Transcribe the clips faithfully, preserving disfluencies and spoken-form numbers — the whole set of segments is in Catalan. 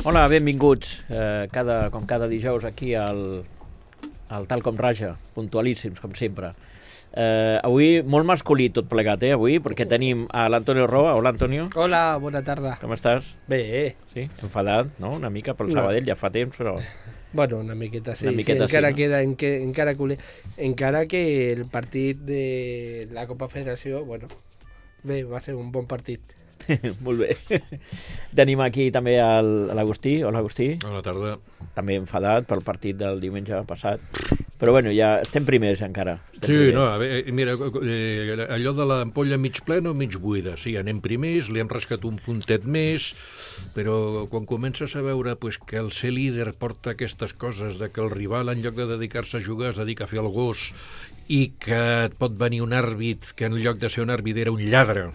Hola, benvinguts, eh, cada, com cada dijous aquí al, al Tal Com Raja, puntualíssims, com sempre. Eh, avui molt masculí tot plegat, eh, avui, perquè tenim a l'Antonio Roa. Hola, Antonio. Hola, bona tarda. Com estàs? Bé. Sí, enfadat, no?, una mica pel No. Sabadell, ja fa temps, però... Bueno, una miqueta sí, Una miqueta sí encara sí, no? queda, en que, encara, cule, encara que el partit de la Copa Federació, bueno, bé, va ser un bon partit. Molt bé. Tenim aquí també el- l'Agustí. Hola, Agustí. Bona tarda. També enfadat pel partit del diumenge passat. Però bueno, ja estem primers encara. Estem Sí, primers. no, a veure, mira, eh, allò de l'ampolla mig plena o mig buida. Sí, anem primers, li hem rascat un puntet més, però quan comences a veure pues, que el ser líder porta aquestes coses, de que el rival, en lloc de dedicar-se a jugar, es dedica a fer el gos, i que et pot venir un àrbit que en lloc de ser un àrbit era un lladre,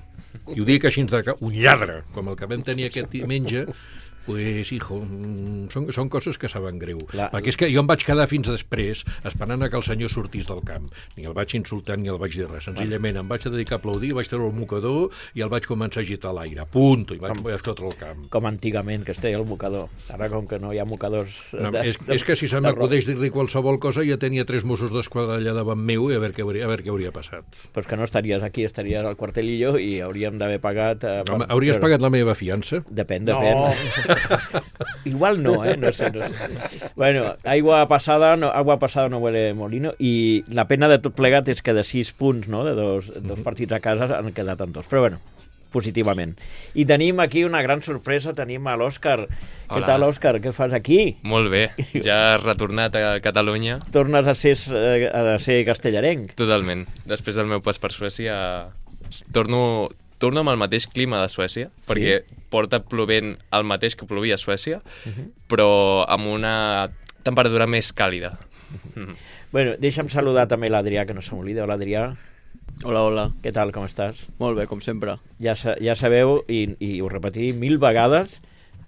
i ho dic així, un lladre, com el que vam tenir aquest diumenge, pues, hijo, mm, són, són coses que saben greu. La- Perquè és que jo em vaig quedar fins després esperant a que el senyor sortís del camp. Ni el vaig insultar ni el vaig dir res. Senzillament em vaig dedicar a aplaudir, vaig treure el mocador i el vaig començar a agitar a l'aire. Punto. I vaig, vaig fotre el camp. Com antigament, que es deia el mocador. Ara, com que no hi ha mocadors... No, de- és, de- és que si se de m'acudeix dir-li qualsevol cosa ja tenia tres Mossos d'Esquadra allà davant meu i a veure què hauria, a veure què hauria passat. Pues que no estaries aquí, estaries al quartelillo i hauríem d'haver pagat... Eh, Home, per- hauries per- pagat la meva fiança? Depèn, depèn. Igual no, eh? No sé, no sé. Bueno, aigua passada, no, agua passada no huele molino, i la pena de tot plegat és que de sis punts, no?, de dos, dos partits a casa han quedat en dos. Però bueno, positivament. I tenim aquí una gran sorpresa, tenim a l'Òscar. Què Hola. tal, Òscar? Què fas aquí? Molt bé, ja has retornat a Catalunya. Tornes a ser, eh, a ser castellarenc? Totalment. Després del meu pas per Suècia, torno, torno amb el mateix clima de Suècia, perquè porta plovent el mateix que plovia a Suècia, però amb una temperatura més càlida. Mhm. Bueno, deixa'm saludar també l'Adrià, que no se m'oblida. Hola, Adrià. Hola, hola. Què tal, com estàs? Molt bé, com sempre. Ja, sa- ja sabeu, i, i ho repetim mil vegades,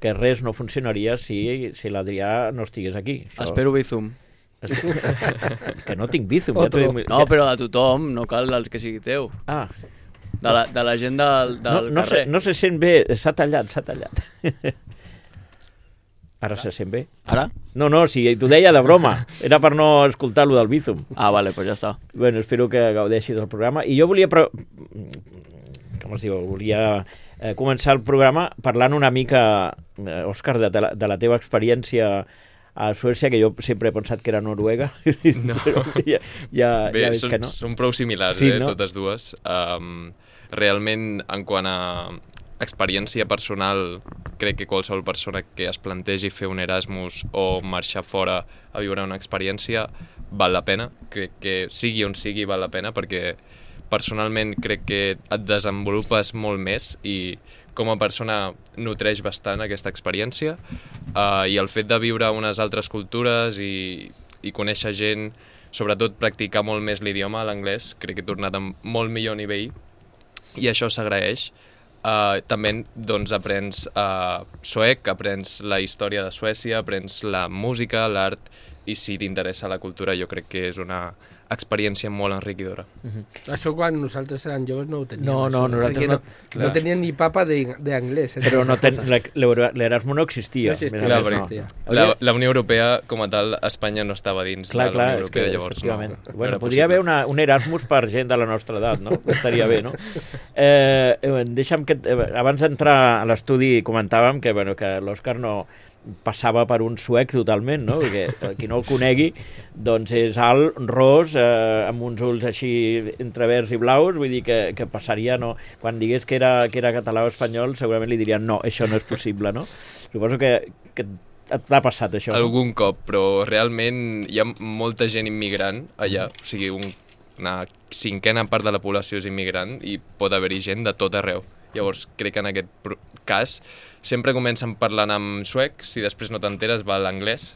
que res no funcionaria si, si l'Adrià no estigués aquí. Això- Espero Bizum. Que no tinc Bizum. Ja t'ho Otro. dic- No, però de tothom, no cal el que sigui teu. Ah, De la, de la gent del, no, del no, se, carrer. no se sent bé, s'ha tallat, s'ha tallat. Ara se sent bé? Ara? No, no, si t'ho deia de broma. Era per no escoltar lo del Bizum. Ah, vale, doncs ja està. Bueno, espero que gaudeixis del programa. I jo volia... Pre... Com es diu? Volia eh, començar el programa parlant una mica, eh, Òscar, de, de, la, de la teva experiència a Suècia, que jo sempre he pensat que era Noruega. No. Però ja, ja, Bé, ja veig són, que no. són prou similars, Sí, eh, no? totes dues. Um, realment, en quant a experiència personal, crec que qualsevol persona que es plantegi fer un Erasmus o marxar fora a viure una experiència val la pena. Crec que sigui on sigui val la pena, perquè personalment crec que et desenvolupes molt més i com a persona nutreix bastant aquesta experiència, uh, i el fet de viure unes altres cultures i, i conèixer gent, sobretot practicar molt més l'idioma, l'anglès, crec que he tornat amb molt millor nivell i això s'agraeix. Uh, també doncs, aprens uh, suec, aprens la història de Suècia, aprens la música, l'art, i si t'interessa la cultura jo crec que és una experiència molt enriquidora. Això quan nosaltres érem joves no ho teníem. No, no, això, nosaltres perquè no- no, clar. no teníem ni papa de- d'anglès. Eh? Però no ten, l'Erasmus no existia. No existia, més o Clar, menys, perquè no. existia. La, Hauria- la Unió Europea, com a tal, Espanya no estava dins Clar, de clar, la és Unió que, Europea, llavors no, efectivament. no Bueno, era podria haver possible. una, un Erasmus per gent de la nostra edat, no? Estaria bé, no? Eh, eh, deixa'm que... Eh, abans d'entrar a l'estudi comentàvem que, bueno, que l'Òscar no passava per un suec totalment, no? Perquè eh, qui no el conegui, doncs és alt, ros, eh, amb uns ulls així entre verds i blaus, vull dir que, que passaria, no? Quan digués que era, que era català o espanyol, segurament li dirien no, això no és possible, no? Suposo que, que t'ha passat això, no? Algun cop, però realment hi ha molta gent immigrant allà, o sigui, un, una cinquena part de la població és immigrant i pot haver-hi gent de tot arreu. Llavors, crec que en aquest pro- cas sempre comencen parlant en suec, si després no t'enteres va a l'anglès.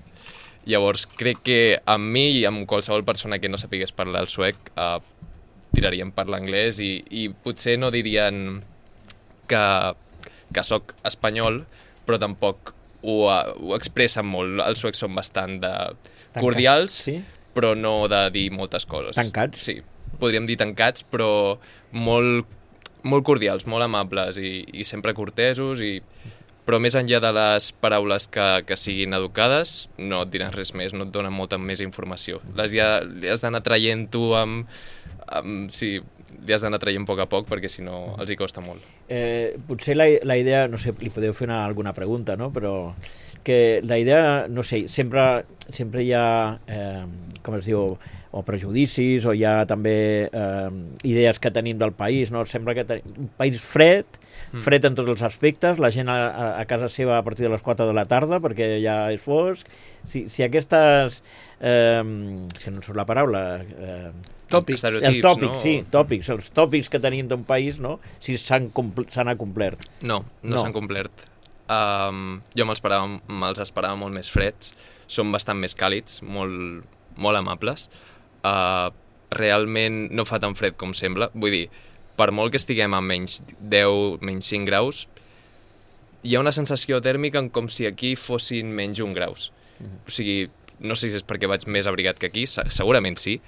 Llavors, crec que amb mi i amb qualsevol persona que no sapigués parlar el suec eh, tirarien per l'anglès i, i potser no dirien que, que sóc espanyol, però tampoc ho, eh, ho expressen molt. Els suecs són bastant de cordials, Sí? però no de dir moltes coses. Tancats? Sí, podríem dir tancats, però molt, molt cordials, molt amables i, i sempre cortesos i però més enllà de les paraules que, que siguin educades, no et diran res més, no et donen molta més informació. Les ja, li has d'anar traient tu amb... amb sí, li has d'anar traient a poc a poc, perquè si no els hi costa molt. Eh, potser la, la idea, no sé, li podeu fer una, alguna pregunta, no? Però que la idea, no sé, sempre, sempre hi ha, eh, com es diu, o prejudicis, o hi ha també eh, idees que tenim del país, no? Sembla que tenim un país fred, fred en tots els aspectes, la gent a, a casa seva a partir de les quatre de la tarda perquè ja és fosc. Si, si aquestes... Eh, és que no surt la paraula... Eh, Tòpics. els tòpics, no? sí, tòpics. Els tòpics que tenim d'un país, no? Si s'han compl- s'han acomplert. No, no, No. s'han complert. Um, jo me'ls esperava, me'ls esperava molt més freds, són bastant més càlids, molt, molt amables. Uh, realment no fa tan fred com sembla, vull dir, per molt que estiguem a menys deu, menys cinc graus, hi ha una sensació tèrmica en com si aquí fossin menys un graus. O sigui, no sé si és perquè vaig més abrigat que aquí, se- segurament sí,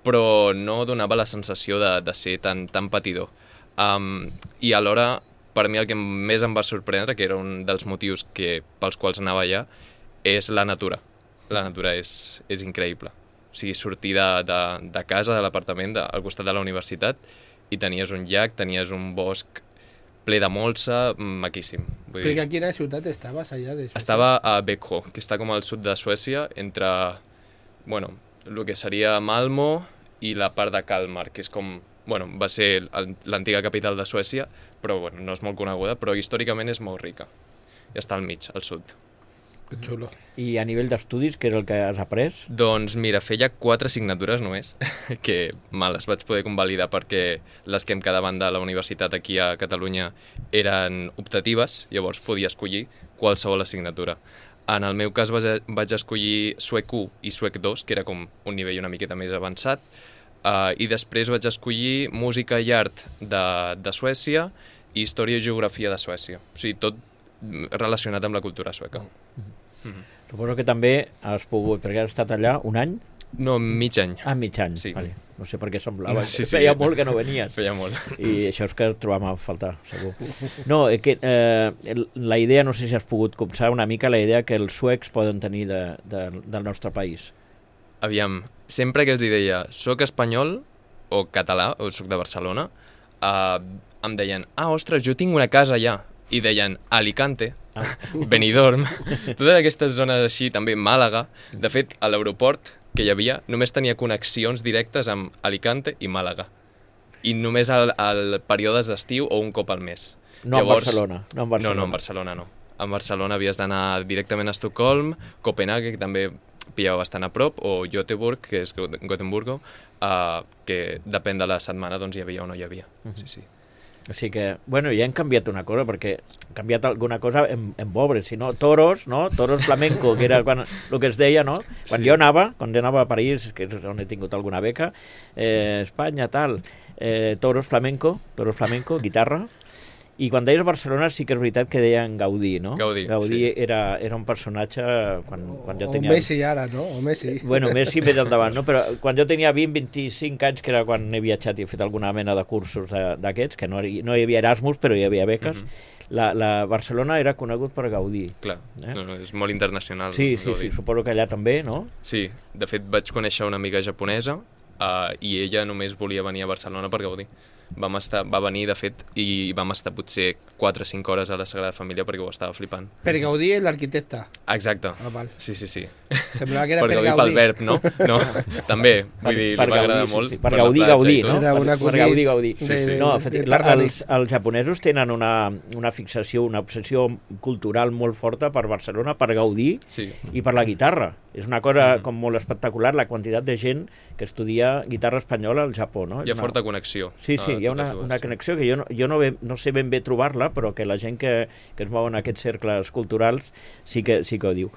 però no donava la sensació de, de ser tan, tan patidor. Um, I alhora, per mi el que més em va sorprendre, que era un dels motius que, pels quals anava allà, és la natura. La natura és, és increïble. O sigui, sortir de, de, de casa, de l'apartament, de, al costat de la universitat, i tenies un llac, tenies un bosc ple de molsa, maquíssim. Vull dir, Perquè a quina ciutat estaves allà de Suècia? estava a Växjö, que està com al sud de Suècia, entre, bueno, el que seria Malmö i la part de Kalmar, que és com, bueno, va ser el- l'antiga capital de Suècia, però bueno, no és molt coneguda, però històricament és molt rica. I està al mig, al sud. Que xulo. I a nivell d'estudis, què és el que has après? Doncs mira, feia quatre assignatures només, que me les vaig poder convalidar perquè les que em quedaven de la universitat aquí a Catalunya eren optatives, llavors podia escollir qualsevol assignatura. En el meu cas vaig, vaig escollir suec u i suec dos, que era com un nivell una miqueta més avançat, uh, i després vaig escollir música i art de, de Suècia i història i geografia de Suècia. O sigui, tot relacionat amb la cultura sueca. Suposo que també has pogut, perquè has estat allà un any? No, mig any. Ah, mig any. Sí. Vale. No sé per què semblava. No, sí, que sí. Feia molt que no venies. Feia molt. I això és que et trobàvem a faltar, segur. No, eh, que, eh, el- la idea, no sé si has pogut copsar una mica la idea que els suecs poden tenir de, de, del nostre país. Aviam, sempre que els hi deia soc espanyol o català, o soc de Barcelona, uh, em deien, ah, ostres, jo tinc una casa allà. I deien Alicante, Ah. Benidorm, totes aquestes zones així, també Màlaga. De fet, a l'aeroport que hi havia només tenia connexions directes amb Alicante i Màlaga. I només al, al períodes d'estiu o un cop al mes. No en Barcelona. No en Barcelona. No, no, en Barcelona no. En Barcelona havies d'anar directament a Estocolm, Copenhague, que també pillava bastant a prop, o Göteborg, que és Got- Gothenburgo, uh, que depèn de la setmana doncs hi havia o no hi havia. Sí, sí. O sigui que, bueno, ja hem canviat una cosa, perquè hem canviat alguna cosa en, en pobre, si no, toros, no? Toros flamenco, que era quan, el que es deia, no? Quan Sí. jo anava, quan jo anava a París, que és on he tingut alguna beca, eh, Espanya, tal, eh, toros flamenco, toros flamenco, guitarra, i quan deies Barcelona sí que és veritat que deien Gaudí, no? Gaudí, Gaudí sí. era, era un personatge quan, quan jo O tenia... Messi ara, no? O Messi. Bueno, Messi més endavant, no? Però quan jo tenia vint vint-i-cinc anys, que era quan he viatjat i he fet alguna mena de cursos de- d'aquests, que no, hi- no hi havia Erasmus, però hi havia beques, Mhm. la, la Barcelona era conegut per Gaudí. Clar, Eh? no, no, és molt internacional. Sí, sí, Gaudí. sí, suposo que allà també, no? Sí, de fet vaig conèixer una amiga japonesa uh, i ella només volia venir a Barcelona per gaudir. Vam estar, va venir, de fet, i vam estar potser quatre o cinc hores a la Sagrada Família perquè ho estava flipant. Per Gaudí és l'arquitecte. Exacte. Ah, val. Sí, sí, sí. Semblava que era Per per, Gaudí pel verb, no? No, també. Vull dir, li va agradar sí, molt. sí, per la Gaudí, platja Gaudí, i tot. no? Era Per, un per acudit Gaudí, Gaudí. de- sí. No, de efectivament, Tardani. els, els japonesos tenen una, una fixació, una obsessió cultural molt forta per Barcelona, per Gaudí Sí. i per la guitarra. És una cosa Mhm. com molt espectacular, la quantitat de gent que estudia guitarra espanyola al Japó, no? Hi ha És una- forta connexió. Sí, sí, a hi ha totes una, dues, una sí. connexió que jo, no, jo no, ve, no sé ben bé trobar-la, però que la gent que, que es mou en aquests cercles culturals sí que, sí que ho diu.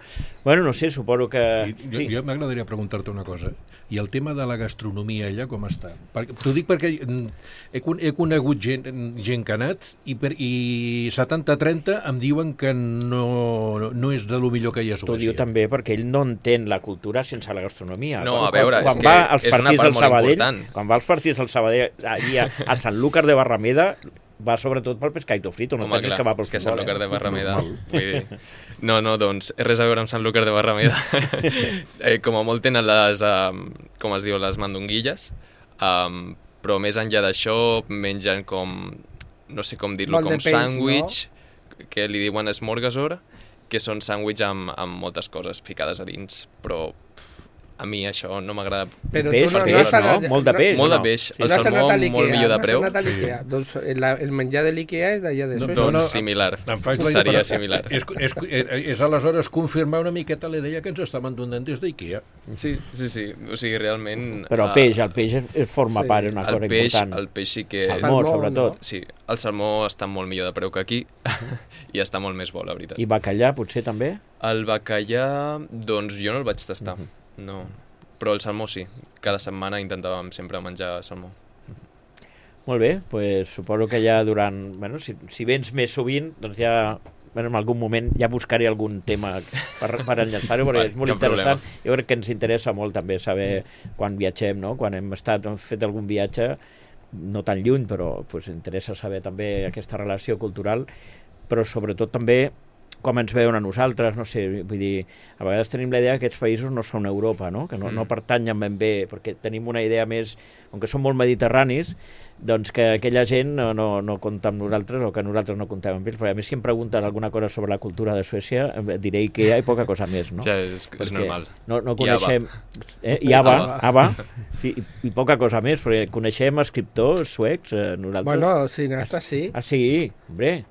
Bueno, no sé, suposo que... I, jo, Sí. jo m'agradaria preguntar-te una cosa. I el tema de la gastronomia allà com està? Perquè- T'ho dic perquè mm, he, con- he conegut gent, gent que ha anat i, per, i setanta trenta em diuen que no, no és de lo millor que hi ha a T'ho Suècia. diu també perquè ell no entén la cultura sense la gastronomia. No, Quan- a veure, quan, és quan que va als és una partits part del molt Sabadell, important. quan va als partits del Sabadell allí a, a Sant Lúcar de Barrameda, va sobretot pel pescadito frito, no Home, pensis clar, que va pel és que Sant futbol, Lúcar eh? de Barrameda... Vull dir, no, no, doncs, res a veure amb Sant Lúcar de Barrameda. eh, com a molt tenen les, um, com es diu, les mandonguilles, um, però més enllà d'això mengen com, no sé com dir-lo, Molt de com peix, sàndwich, que li diuen smorgasbord, que són sàndwich amb, amb moltes coses ficades a dins, però a mi això no m'agrada. Però Peix, tu no, peix, no has no? anat... Molt de peix, Molt no? de peix, Sí. el no has salmó anat a molt l'Ikea, millor de no has preu. anat a l'Ikea. Doncs el, el menjar de l'Ikea és d'allà de No, Suècia. no, no. Similar, Em faig la seria però similar. És, és, és aleshores confirmar una miqueta la idea que ens estaven donant des d'IKEA. Sí, sí, sí, o sigui, realment... Però el eh, peix, el peix es- es forma Sí. part, és una el cosa peix, important. el peix sí que... Salmó, Salmó, sobretot. no? Sí, el salmó està molt millor de preu que aquí i està molt més bo, la veritat. I bacallà, potser, també? El bacallà, doncs jo no el vaig tastar, no. Però el salmó sí, cada setmana intentàvem sempre menjar salmó. Molt bé, pues, suposo que ja durant... Bueno, si, si vens més sovint, doncs ja... Bueno, en algun moment ja buscaré algun tema per, per enllaçar-ho, perquè Vale, és molt cap interessant. Jo crec que ens interessa molt també saber quan viatgem, no? Quan hem estat, hem fet algun viatge, no tan lluny, però pues, interessa saber també aquesta relació cultural, però sobretot també com ens veuen a nosaltres, no sé, vull dir, a vegades tenim la idea que aquests països no són Europa, no? Que no, Mm. no pertanyen ben bé, perquè tenim una idea més, com que són molt mediterranis, doncs que aquella gent no, no, no compta amb nosaltres o que nosaltres no comptem amb ells, perquè a mi si em pregunten alguna cosa sobre la cultura de Suècia, eh, diré que hi ha poca cosa més, no? Ja, és, és Perquè normal. No, no I coneixem... Eh? I Ava, Ava. Ava, sí, i, i poca cosa més, perquè coneixem escriptors suecs, eh, nosaltres... Bueno, cineasta sí. Ah, sí, hombre,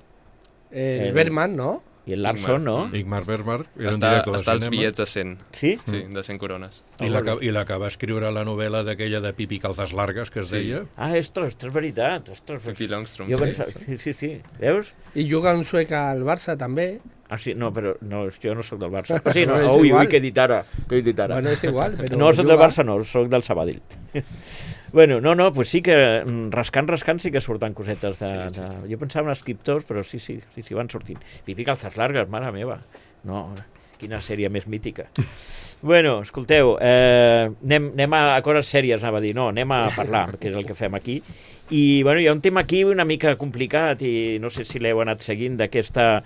El el- Bergman, no? i el Larson, no? Mm. Igmar Bergman era un Està, director de està als cinema. bitllets de cent, Sí? sí, de cent corones. I la, que- I la que va escriure la novel·la d'aquella de Pipi Calzas Largues, que es Sí. deia... Ah, ostres, és veritat, ostres. Pippi Longstrom, Jo sí. pensava, sí, sí, sí, veus? I juga un suec al Barça, també. Ah, sí, no, però no, jo no sóc del Barça. O sigui, no, No, és ui, igual. ui, què he dit ara, què he dit ara. Bueno, és igual, però No, soc juga. del Barça, no, soc del Sabadell. Bueno, no, no, pues sí que mm, rascant, rascant sí que surten cosetes de... Sí, sí, de... Jo pensava en escriptors, però sí, sí, sí, sí, van sortint. Pipi Calzas Largues, mare meva. No, quina sèrie més mítica. Bueno, escolteu, eh, anem, anem a coses sèries, anava a dir, no, anem a parlar, que és el que fem aquí. I, bueno, hi ha un tema aquí una mica complicat i no sé si l'heu anat seguint d'aquesta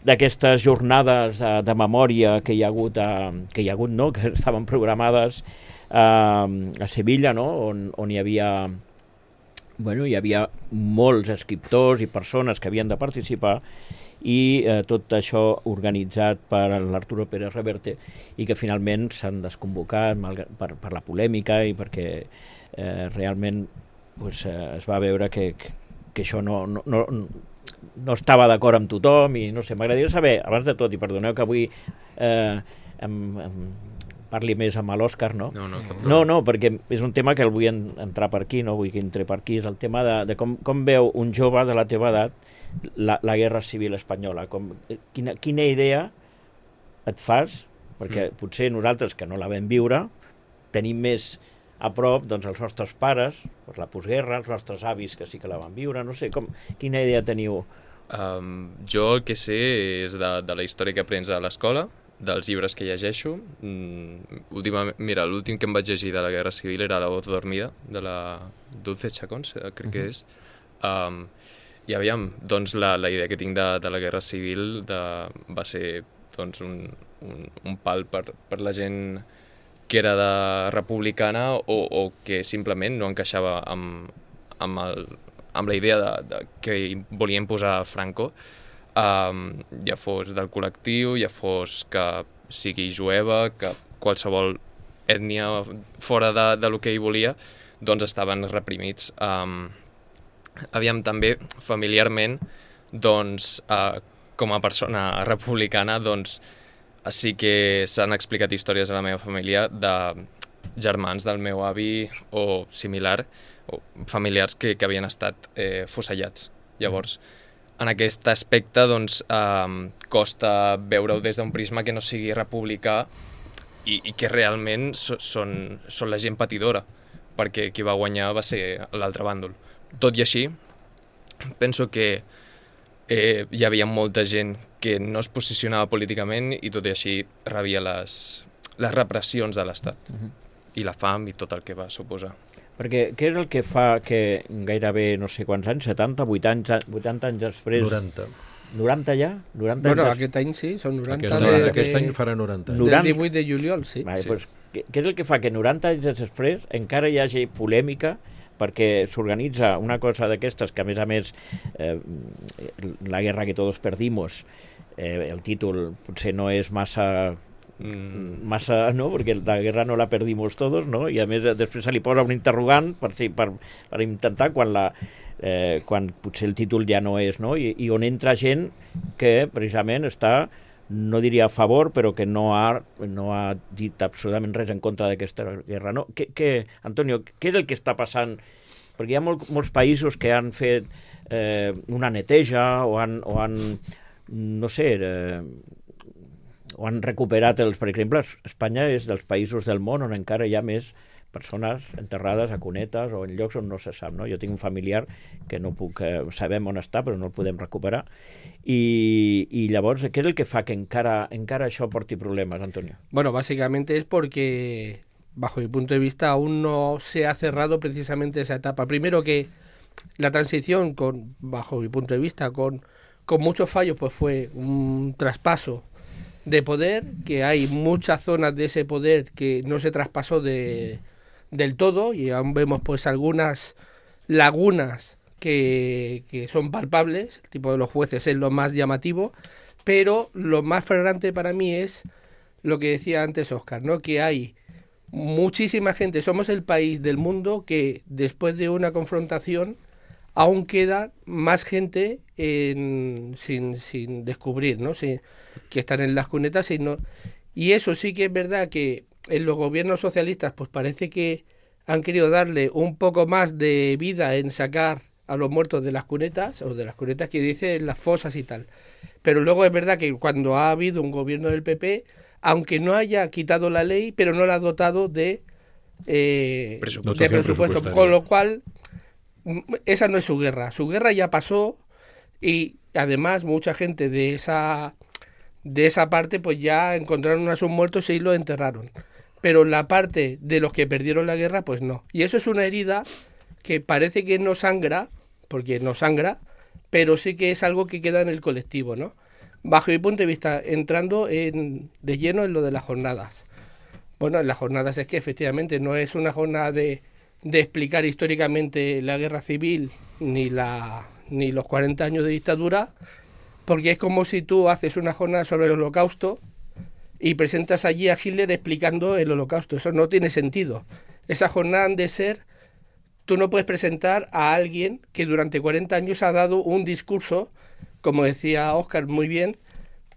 d'aquestes jornades de, de memòria que hi ha hagut, a, que hi ha hagut, no?, que estaven programades a, a Sevilla, no?, on, on hi havia bueno, hi havia molts escriptors i persones que havien de participar i eh, tot això organitzat per l'Arturo Pérez Reverte i que finalment s'han desconvocat malgrat, per, per la polèmica i perquè eh, realment pues, eh, es va veure que, que, que això no, no, no, no estava d'acord amb tothom i no sé, m'agradaria saber, abans de tot, i perdoneu que avui eh, em, em parli més amb l'Òscar, no? No, no, cap No, no, perquè és un tema que el vull en, entrar per aquí, no vull que entre per aquí, és el tema de, de com, com veu un jove de la teva edat la, la guerra civil espanyola. Com, quina, quina idea et fas? Perquè mm. potser nosaltres, que no la vam viure, tenim més a prop doncs, els nostres pares, doncs, la postguerra, els nostres avis que sí que la van viure, no sé, com, quina idea teniu? Um, jo el que sé és de, de la història que aprens a l'escola, dels llibres que llegeixo. Mm, últimament, mira, l'últim que em vaig llegir de la Guerra Civil era La voz dormida, de la Dulce Chacón, crec que és. Um, I aviam, doncs la, la idea que tinc de, de la Guerra Civil de, va ser doncs, un, un, un pal per, per la gent que era de republicana o, o que simplement no encaixava amb, amb, el, amb la idea de, de que volien posar Franco. Um, ja fos del col·lectiu, ja fos que sigui jueva, que qualsevol ètnia fora de, de lo que ell volia, doncs estaven reprimits. Um, aviam, també familiarment, doncs, uh, com a persona republicana, doncs, sí que s'han explicat històries a la meva família de germans del meu avi o similar, o familiars que, que havien estat eh, fusellats. Llavors, en aquest aspecte, doncs, eh, costa veure-ho des d'un prisma que no sigui republicà i, i que realment so, són, són la gent patidora, perquè qui va guanyar va ser l'altre bàndol. Tot i així, penso que eh, hi havia molta gent que no es posicionava políticament i tot i així rebia les, les repressions de l'Estat. Uh -huh. I la fam i tot el que va suposar. Perquè què és el que fa que gairebé no sé quants anys, setanta, vuitanta, vuitanta anys després... noranta. noranta ja? noranta Bueno, anys aquest any sí, són noranta. Aquest, de, aquest de, any farà noranta. No. del noranta. divuit de juliol, sí. Vale, Sí. pues, què, què és el que fa que noranta anys després encara hi hagi polèmica perquè s'organitza una cosa d'aquestes que, a més a més, eh, la guerra que todos perdimos, eh, el títol potser no és massa... Mm, massa, no? Perquè la guerra no la perdimos todos, no? I a més després se li posa un interrogant per, si, per, per intentar quan la eh, quan potser el títol ja no és, no? I, i on entra gent que precisament està, no diria a favor, però que no ha, no ha dit absolutament res en contra d'aquesta guerra, no? Que, que, Antonio, què és el que està passant? Perquè hi ha molt, molts països que han fet eh, una neteja o han, o han no sé, eh, o han recuperat els... Per exemple, Espanya és dels països del món on encara hi ha més persones enterrades a cunetes o en llocs on no se sap, no? Jo tinc un familiar que no puc... Eh, sabem on està, però no el podem recuperar. I, i llavors, què és el que fa que encara, encara això porti problemes, Antonio? Bueno, básicamente es porque, bajo mi punto de vista, aún no se ha cerrado precisamente esa etapa. Primero que la transición, con, bajo mi punto de vista, con, con muchos fallos, pues fue un traspaso de poder, que hay muchas zonas de ese poder que no se traspasó de, del todo, y aún vemos pues algunas lagunas que, que son palpables. El tipo de los jueces es lo más llamativo, pero lo más flagrante para mí es lo que decía antes Óscar, ¿no? Que hay muchísima gente, somos el país del mundo que después de una confrontación aún queda más gente en, sin, sin descubrir, ¿no? Sin, que están en las cunetas, sino, y eso sí que es verdad que en los gobiernos socialistas pues parece que han querido darle un poco más de vida en sacar a los muertos de las cunetas, o de las cunetas que dicen las fosas y tal. Pero luego es verdad que cuando ha habido un gobierno del P P, aunque no haya quitado la ley, pero no la ha dotado de, eh, Presupuesto. de presupuesto, con lo cual esa no es su guerra. Su guerra ya pasó y además mucha gente de esa de esa parte pues ya encontraron a sus muertos y los enterraron. Pero la parte de los que perdieron la guerra pues no. Y eso es una herida que parece que no sangra, porque no sangra, pero sí que es algo que queda en el colectivo, ¿no? Bajo mi punto de vista, entrando en, de lleno en lo de las jornadas. Bueno, en las jornadas es que efectivamente no es una jornada de, de explicar históricamente la guerra civil ni, la, ni los cuarenta años de dictadura, porque es como si tú haces una jornada sobre el Holocausto y presentas allí a Hitler explicando el Holocausto. Eso no tiene sentido. Esa jornada han de ser... Tú no puedes presentar a alguien que durante cuarenta años ha dado un discurso, como decía Óscar muy bien,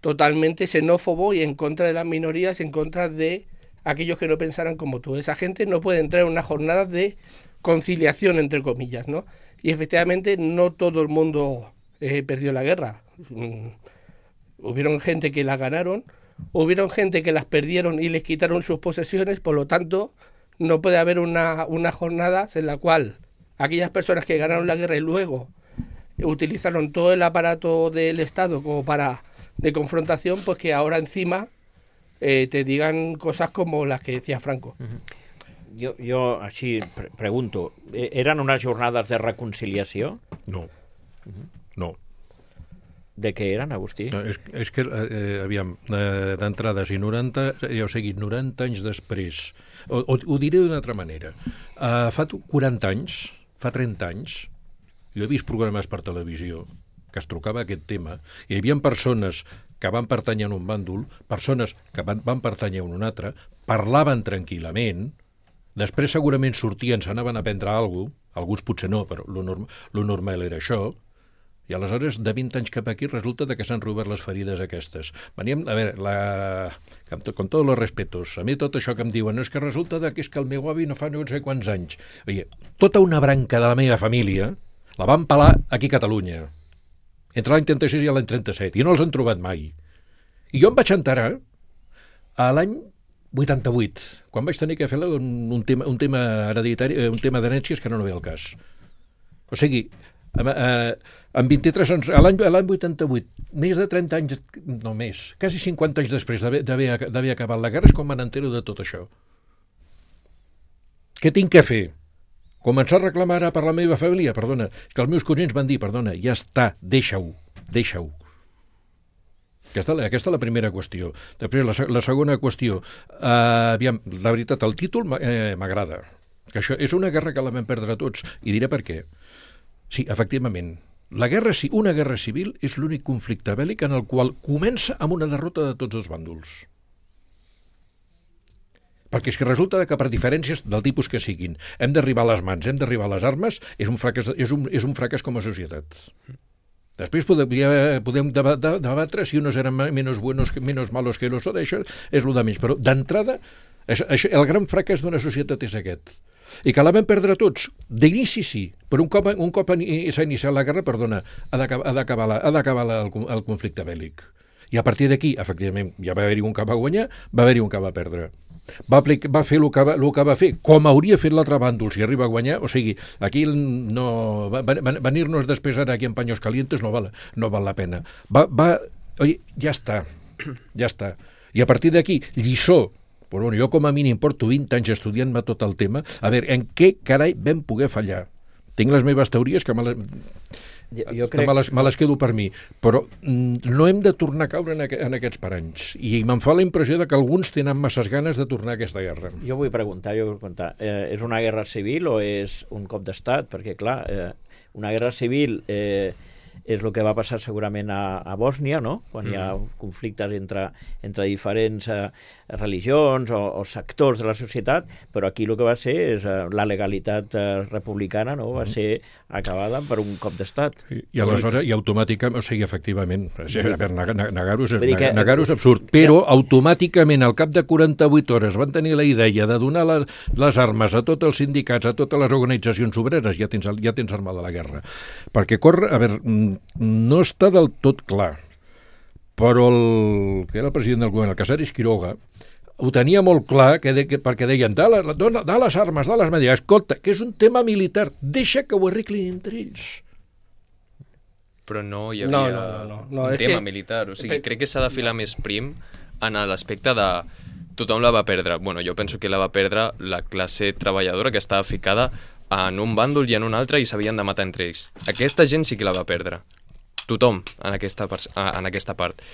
totalmente xenófobo y en contra de las minorías, en contra de aquellos que no pensaran como tú. Esa gente no puede entrar en una jornada de conciliación, entre comillas, ¿no? Y efectivamente no todo el mundo eh, perdió la guerra. Mm, hubieron gente que la ganaron, hubieron gente que las perdieron y les quitaron sus posesiones, por lo tanto... No puede haber una, una jornada en la cual aquellas personas que ganaron la guerra y luego utilizaron todo el aparato del Estado como para de confrontación, pues que ahora encima eh, te digan cosas como las que decía Franco. Uh-huh. Jo, jo així pre pregunto, eren unes jornades de reconciliació? No, Uh-huh. no. De què eren, Agustí? No, és, és que, eh, aviam, eh, d'entrada, si noranta, ja ho sigui, noranta anys després, o, o ho diré d'una altra manera, uh, fa quaranta anys, fa trenta anys, jo he vist programes per televisió que es trucava aquest tema, i hi havia persones que van pertànyer a un bàndol, persones que van, van pertànyer a un altre, parlaven tranquil·lament, després segurament sortien, s'anaven a prendre alguna cosa, alguns potser no, però lo, norm, lo normal era això, i aleshores, de vint anys cap aquí, resulta que s'han robert les ferides aquestes. Veníem, a veure, la... con, to, con tots els respetos, a mi tot això que em diuen, no és que resulta que és que el meu avi no fa no sé quants anys. Oye, tota una branca de la meva família la van pelar aquí a Catalunya, entre l'any trenta-sis i l'any trenta-set, i no els han trobat mai. I jo em vaig enterar a l'any vuitanta-vuit, quan vaig tenir que fer un, un tema, un tema hereditari, un tema d'herències que no no ve al cas. O sigui, en vint-i-tres anys, a l'any vuitanta-vuit, més de trenta anys, no més, quasi cinquanta anys després d'haver acabat la guerra, és com me n'entero de tot això. Què tinc que fer? Començar a reclamar ara per la meva família, perdona, que els meus cosins van dir, perdona, ja està, deixa-ho, deixa-ho. Aquesta, aquesta és la primera qüestió. Després, la, la segona qüestió, uh, aviam, la veritat, el títol m'agrada, eh, que això és una guerra que la vam perdre tots, i diré per què. Sí, efectivament, la guerra, una guerra civil és l'únic conflicte bèl·lic en el qual comença amb una derrota de tots els bàndols. Perquè és que resulta que per diferències del tipus que siguin, hem d'arribar a les mans, hem d'arribar a les armes, és un fracàs, és un, és un fracàs com a societat. Després podem, podem debatre si unos eran menos buenos, menos malos que los otros, això és el de menys, però d'entrada el gran fracàs d'una societat és aquest. I que la vam perdre tots, d'inici sí, però un cop, un cop s'ha iniciat la guerra, perdona, ha d'acabar el, el conflicte bèl·lic. I a partir d'aquí, efectivament, ja va haver-hi un que va guanyar, va haver-hi un que va perdre. Va, aplicar, va fer el que va, el que va fer, com hauria fet l'altre bàndol si arriba a guanyar, o sigui, aquí no, venir-nos després ara aquí en paños calientes no val, no val la pena. Va, va, oi, ja està, ja està. I a partir d'aquí, lliçó, però bueno, jo com a mínim porto vint anys estudiant-me tot el tema, a veure, en què carai vam poder fallar? Tinc les meves teories que me les, jo, jo crec... me, les, me les quedo per mi, però mm, no hem de tornar a caure en, aqu en aquests paranys. I me'n fa la impressió de que alguns tenen masses ganes de tornar a aquesta guerra. Jo vull preguntar, jo vull preguntar eh, és una guerra civil o és un cop d'estat? Perquè, clar, eh, una guerra civil eh, és el que va passar segurament a, a Bòsnia, no? Quan mm. hi ha conflictes entre, entre diferents eh, religions o, o sectors de la societat, però aquí el que va ser és eh, la legalitat eh, republicana, no? Va ser acabada per un cop d'estat. I, i aleshores, i automàticament, o sigui, efectivament, a veure, negar-ho és, negar, negar és absurd, però ja. automàticament al cap de quaranta-vuit hores van tenir la idea de donar les, les armes a tots els sindicats, a totes les organitzacions obreres, ja tens, ja tens armada la guerra. Perquè corre, a veure, no està del tot clar, però el que era el president del govern, el Casares Quiroga, ho tenia molt clar, que de, que, perquè deien, da, la, dona, da les armes, da les medalles, escolta, que és un tema militar, deixa que ho arreglin entre ells. Però no hi havia no, no, no, no. un És tema que... militar, o sigui, crec que s'ha de filar més prim en l'aspecte de tothom la va perdre. Bueno, jo penso que la va perdre la classe treballadora que estava ficada en un bàndol i en un altre i s'havien de matar entre ells. Aquesta gent sí que la va perdre. Tothom en aquesta, en aquesta part.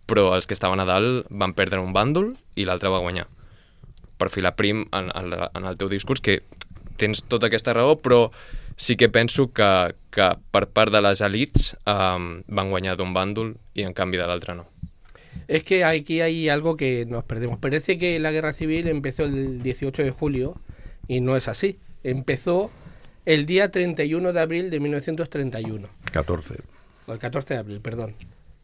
Però els que estaven a dalt van perdre un bàndol i l'altre va guanyar. Per filar prim en, en, en el teu discurs, que tens tota aquesta raó, però sí que penso que, que per part de les elites um, van guanyar d'un bàndol i en canvi de l'altre no. Es que aquí hay algo que nos perdemos. Parece que la guerra civil empezó el dieciocho de julio y no es así. Empezó el día treinta y uno de abril de mil novecientos treinta y uno. catorce. El catorce de abril, perdón.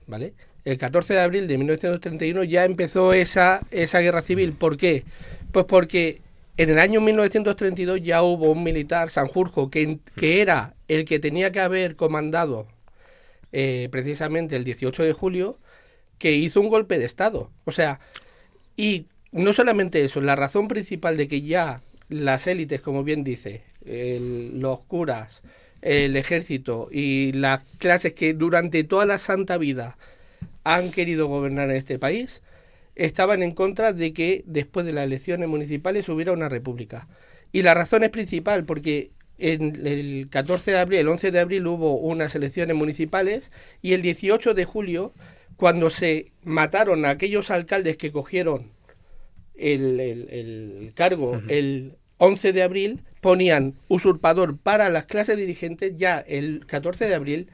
¿Vale? El catorce de abril de mil novecientos treinta y uno ya empezó esa, esa guerra civil. ¿Por qué? Pues porque en el año mil novecientos treinta y dos ya hubo un militar, Sanjurjo, que, que era el que tenía que haber comandado eh, precisamente el dieciocho de julio, que hizo un golpe de Estado. O sea, y no solamente eso, la razón principal de que ya las élites, como bien dice, el, los curas, el ejército y las clases que durante toda la santa vida han querido gobernar en este país, estaban en contra de que después de las elecciones municipales hubiera una república. Y la razón es principal, porque en el catorce de abril, el once de abril hubo unas elecciones municipales y el dieciocho de julio, cuando se mataron a aquellos alcaldes que cogieron el, el, el cargo, uh-huh. el once de abril, ponían usurpador para las clases dirigentes, ya el catorce de abril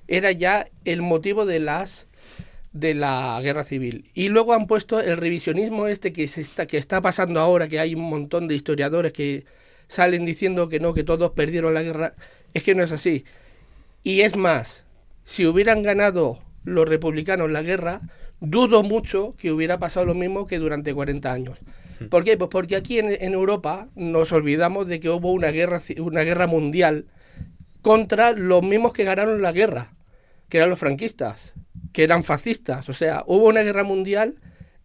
era ya el motivo de las de la guerra civil. Y luego han puesto el revisionismo este que se está que está pasando ahora, que hay un montón de historiadores que salen diciendo que no, que todos perdieron la guerra. Es que no es así. Y es más, si hubieran ganado los republicanos la guerra, dudo mucho que hubiera pasado lo mismo que durante cuarenta años. ¿Por qué? Pues porque aquí en, en Europa nos olvidamos de que hubo una guerra, una guerra mundial contra los mismos que ganaron la guerra, que eran los franquistas, que eran fascistas. O sea, hubo una guerra mundial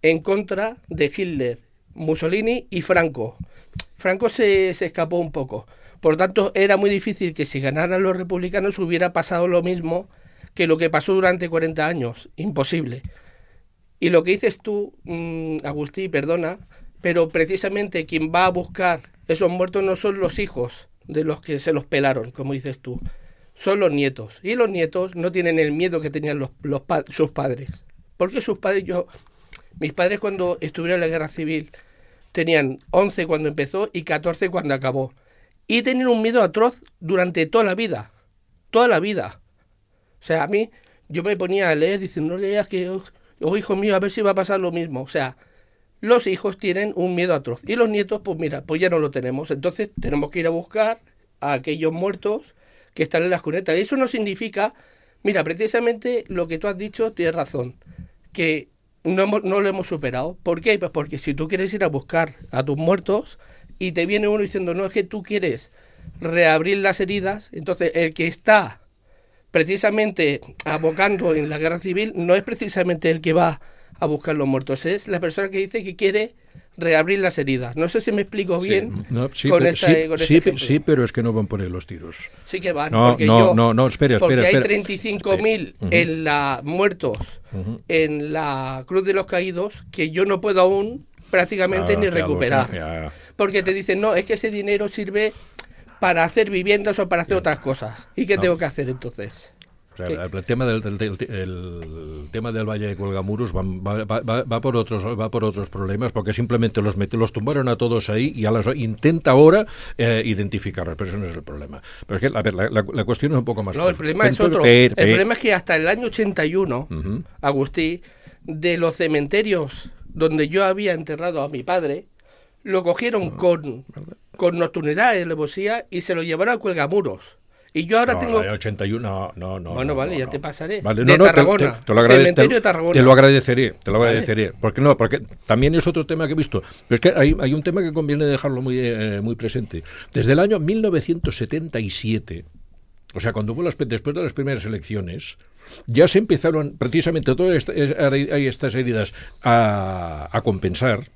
en contra de Hitler, Mussolini y Franco. Franco se, se escapó un poco. Por tanto, era muy difícil que si ganaran los republicanos hubiera pasado lo mismo que lo que pasó durante cuarenta años. Imposible. Y lo que dices tú, mmm, Agustí, perdona, pero precisamente quien va a buscar esos muertos no son los hijos de los que se los pelaron, como dices tú, son los nietos. Y los nietos no tienen el miedo que tenían los, los pa- sus padres. Porque sus padres, yo, mis padres cuando estuvieron en la guerra civil tenían once cuando empezó y catorce cuando acabó. Y tenían un miedo atroz durante toda la vida. Toda la vida. O sea, a mí, yo me ponía a leer diciendo, no leas que, oh, oh, hijo mío, a ver si va a pasar lo mismo. O sea, los hijos tienen un miedo atroz. Y los nietos, pues mira, pues ya no lo tenemos. Entonces tenemos que ir a buscar a aquellos muertos que están en las cunetas. Eso no significa, mira, precisamente lo que tú has dicho, tienes razón, que no, hemos, no lo hemos superado. ¿Por qué? Pues porque si tú quieres ir a buscar a tus muertos y te viene uno diciendo, no, es que tú quieres reabrir las heridas, entonces el que está precisamente abocando en la guerra civil no es precisamente el que va a buscar los muertos, es la persona que dice que quiere reabrir las heridas. No sé si me explico bien sí, no, sí, con, pero, esta, sí, con este sí, ejemplo. Sí, pero es que no van por ahí los tiros. Sí que van. No, porque no, yo, no, no, espera, porque espera. hay espera. treinta y cinco mil Uh-huh. en la, muertos Uh-huh. en la Cruz de los Caídos que yo no puedo aún prácticamente Ah, ni ya lo recuperar. sé, ya. Porque te dicen, no, es que ese dinero sirve para hacer viviendas o para hacer otras cosas. ¿Y qué No. tengo que hacer entonces? O sea, el tema del, del- del- el tema del Valle de Cuelgamuros va, va, va, va por otros va por otros problemas, porque simplemente los meti- los tumbaron a todos ahí y a las, intenta ahora eh, identificarlos, pero eso no es el problema. Pero es que, a ver, la, la, la cuestión es un poco más... No, el problema es Pero- otro. pero- El problema es que hasta el año ochenta y uno, Ujú. Agustí, de los cementerios donde yo había enterrado a mi padre, lo cogieron con, con nocturnidad y alevosía y se lo llevaron a Cuelgamuros. Y yo ahora No, tengo... la de ochenta y uno, no, no, no. Bueno, no, vale, no, ya no. te pasaré. Vale, De no, no, te- Tarragona, te, te lo agrade- cementerio te- de Tarragona. Te lo agradeceré, te lo Vale. agradeceré. Porque no, porque también es otro tema que he visto. Pero es que hay, hay un tema que conviene dejarlo muy, eh, muy presente. Desde el año mil novecientos setenta y siete, o sea, cuando hubo las, después de las primeras elecciones, ya se empezaron precisamente todas esta- es- hay estas heridas a, a compensar.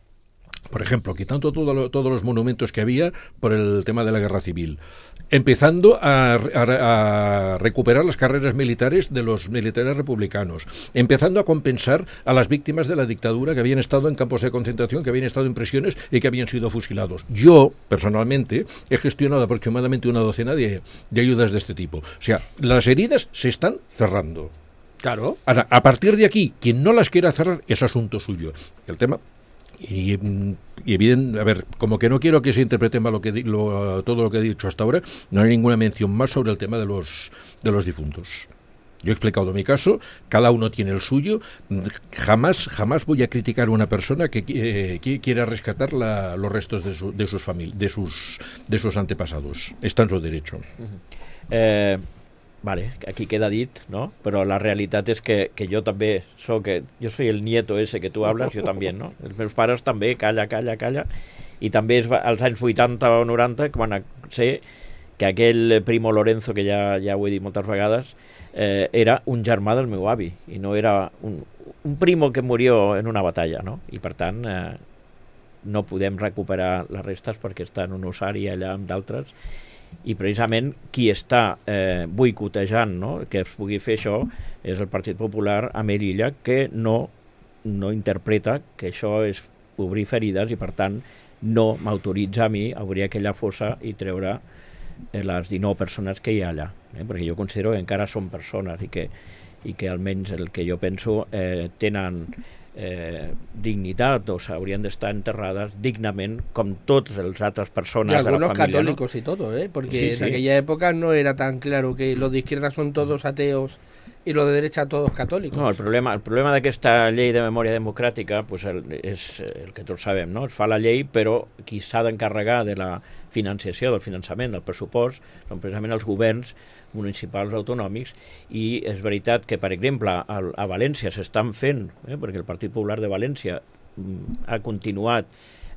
Por ejemplo, quitando todo lo- todos los monumentos que había por el tema de la guerra civil, empezando a, a- a recuperar las carreras militares de los militares republicanos, empezando a compensar a las víctimas de la dictadura que habían estado en campos de concentración, que habían estado en prisiones y que habían sido fusilados. Yo, personalmente, he gestionado aproximadamente una docena de, de ayudas de este tipo. O sea, las heridas se están cerrando. Claro. Ahora, a partir de aquí, quien no las quiera cerrar es asunto suyo. El tema... Y, mm, y bien, a ver, como que no quiero que se interprete mal lo que di- lo, todo lo que he dicho hasta ahora, no hay ninguna mención más sobre el tema de los de los difuntos. Yo he explicado mi caso, cada uno tiene el suyo. Jamás, jamás voy a criticar a una persona que, eh, que quiera rescatar la, los restos de, su, de sus famili- de sus de sus antepasados. Está en su derecho. Eh, vale, aquí queda dit, no? Però la realitat és que, que jo també soc, jo soy el nieto ese que tu hablas, jo també, no? Els meus pares també, calla, calla, calla, i també es va, als anys vuitanta o noranta, quan a- sé que aquell Primo Lorenzo, que ja, ja ho he dit moltes vegades, eh, era un germà del meu avi, i no era un, un primo que murió en una batalla, no? I per tant, eh, no podem recuperar les restes perquè està en un ossari allà amb d'altres, i precisament qui està eh, boicotejant, no?, que es pugui fer això és el Partit Popular a Melilla, que no, no interpreta que això és obrir ferides i per tant no m'autoritza a mi a obrir aquella fossa i treure eh, les dinou persones que hi ha allà, eh? Perquè jo considero que encara són persones i que, i que almenys el que jo penso eh, tenen eh, dignitat o s'haurien d'estar enterrades dignament com totes les altres persones Y de la algunos família, católicos y todo, ¿eh? Porque Sí, en sí. aquella época no era tan claro que los de izquierda son todos ateos y los de derecha todos católicos. No, el problema, el problema d'aquesta llei de memòria democràtica pues el, és el que tots sabem, no? Es fa la llei, però qui s'ha d'encarregar de la financiació, del finançament, del pressupost, són precisament els governs municipals autonòmics, i és veritat que, per exemple, a, a València s'estan fent, eh, perquè el Partit Popular de València mm, ha continuat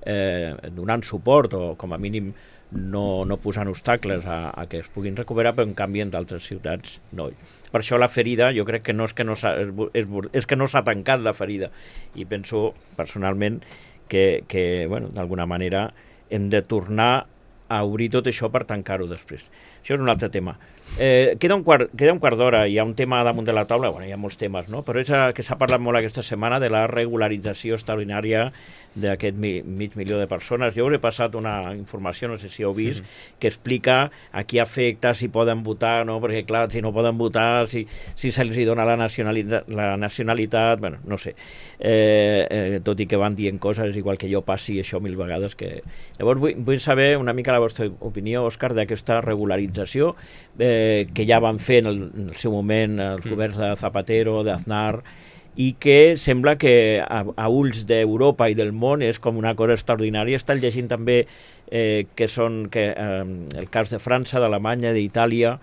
eh, donant suport o com a mínim no, no posant obstacles a, a que es puguin recuperar, però en canvi en d'altres ciutats no. Per això la ferida jo crec que no és que no s'ha, és, és que no s'ha tancat la ferida, i penso personalment que, que bueno, d'alguna manera hem de tornar a obrir tot això per tancar-ho després. Això és un altre tema. Eh, queda un quart, queda un quart d'hora, hi ha un tema damunt de la taula, bueno, hi ha molts temes, no? Però és a, que s'ha parlat molt aquesta setmana de la regularització extraordinària d'aquest mi, mig milió de persones. Jo us he passat una informació, no sé si heu vist, mm-hmm. que explica a qui afecta, si poden votar, no? Perquè clar, si no poden votar, si, si se'ls dona la nacionalitat, la nacionalitat, bueno, no sé. Eh, eh, tot i que van dient coses, igual que jo passi això mil vegades. Que... Llavors vull, vull saber una mica la vostra opinió, Òscar, d'aquesta regularització eh, que ja van fer en el, en el seu moment els mm. governs de Zapatero, d'Aznar, i que sembla que a, a ulls d'Europa i del món és com una cosa extraordinària. Estan llegint també eh, que són que, eh, el cas de França, d'Alemanya, d'Itàlia,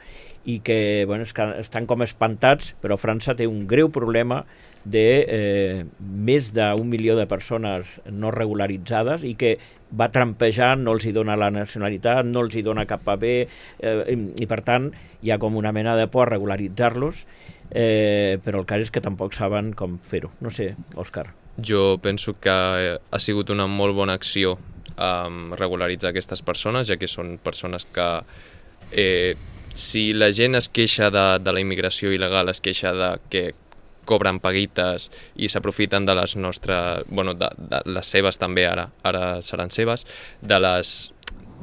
i que, bueno, és que estan com espantats, però França té un greu problema de eh, més d'un milió de persones no regularitzades i que va trampejant, no els hi dona la nacionalitat, no els hi dona cap paper, eh, i, i per tant hi ha com una mena de por a regularitzar-los, eh, però el cas és que tampoc saben com fer-ho. No sé, Òscar. Jo penso que ha sigut una molt bona acció um, regularitzar aquestes persones, ja que són persones que eh, si la gent es queixa de, de la immigració il·legal, es queixa de que cobren paguites i s'aprofiten de les nostres, bueno, de, de les seves també, ara ara seran seves, de les,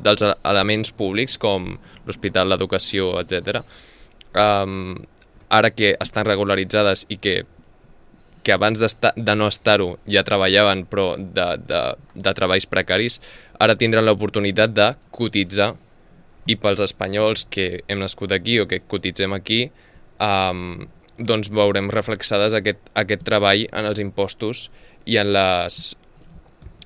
dels elements públics com l'hospital, l'educació, etcètera. Um, ara que estan regularitzades i que, que abans de no estar-ho ja treballaven, però de, de, de treballs precaris, ara tindran l'oportunitat de cotitzar, i pels espanyols que hem nascut aquí o que cotitzem aquí, um, doncs veurem reflexades aquest, aquest treball en els impostos i en les,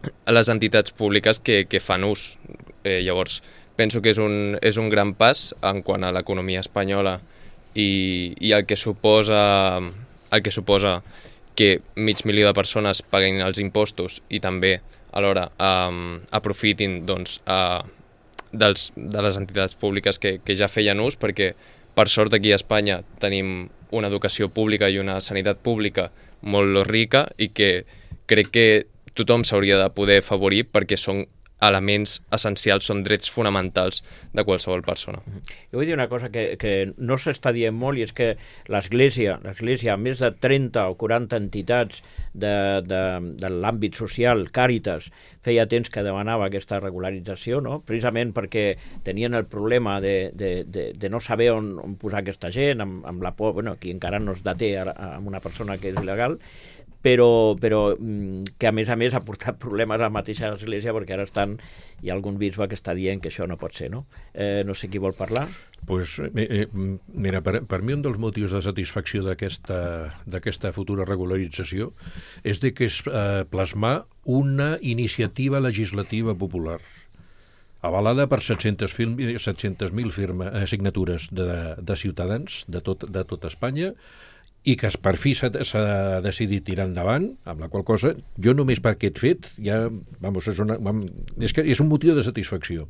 en les entitats públiques que, que fan ús. Eh, llavors, penso que és un, és un gran pas en quant a l'economia espanyola i, i el que suposa el que suposa que mig milió de persones paguin els impostos i també alhora um, aprofitin doncs, uh, dels, de les entitats públiques que, que ja feien ús, perquè per sort aquí a Espanya tenim una educació pública i una sanitat pública molt rica i que crec que tothom s'hauria de poder afavorir perquè són elements essencials, són drets fonamentals de qualsevol persona. Jo vull dir una cosa que, que no s'està dient molt, i és que l'Església, l'Església, amb més de trenta o quaranta entitats de, de, de l'àmbit social, Càritas, feia temps que demanava aquesta regularització, no? Precisament perquè tenien el problema de, de, de, de no saber on, on posar aquesta gent, amb, amb la por, bueno, aquí encara no es deté amb una persona que és il·legal, però, però que a més a més ha portat problemes a la mateixa església, perquè ara estan, hi ha algun bisbe que està dient que això no pot ser, no? Eh, no sé qui vol parlar. Pues, eh, mira, per, per mi un dels motius de satisfacció d'aquesta d'aquesta futura regularització és de que és eh, plasmar una iniciativa legislativa popular avalada per set-centes mil firma, eh, signatures de, de ciutadans de tot, de tot Espanya, i que per fi s'ha decidit tirar endavant, amb la qual cosa, jo només per aquest fet, ja, vamos, és, una, és, que és un motiu de satisfacció.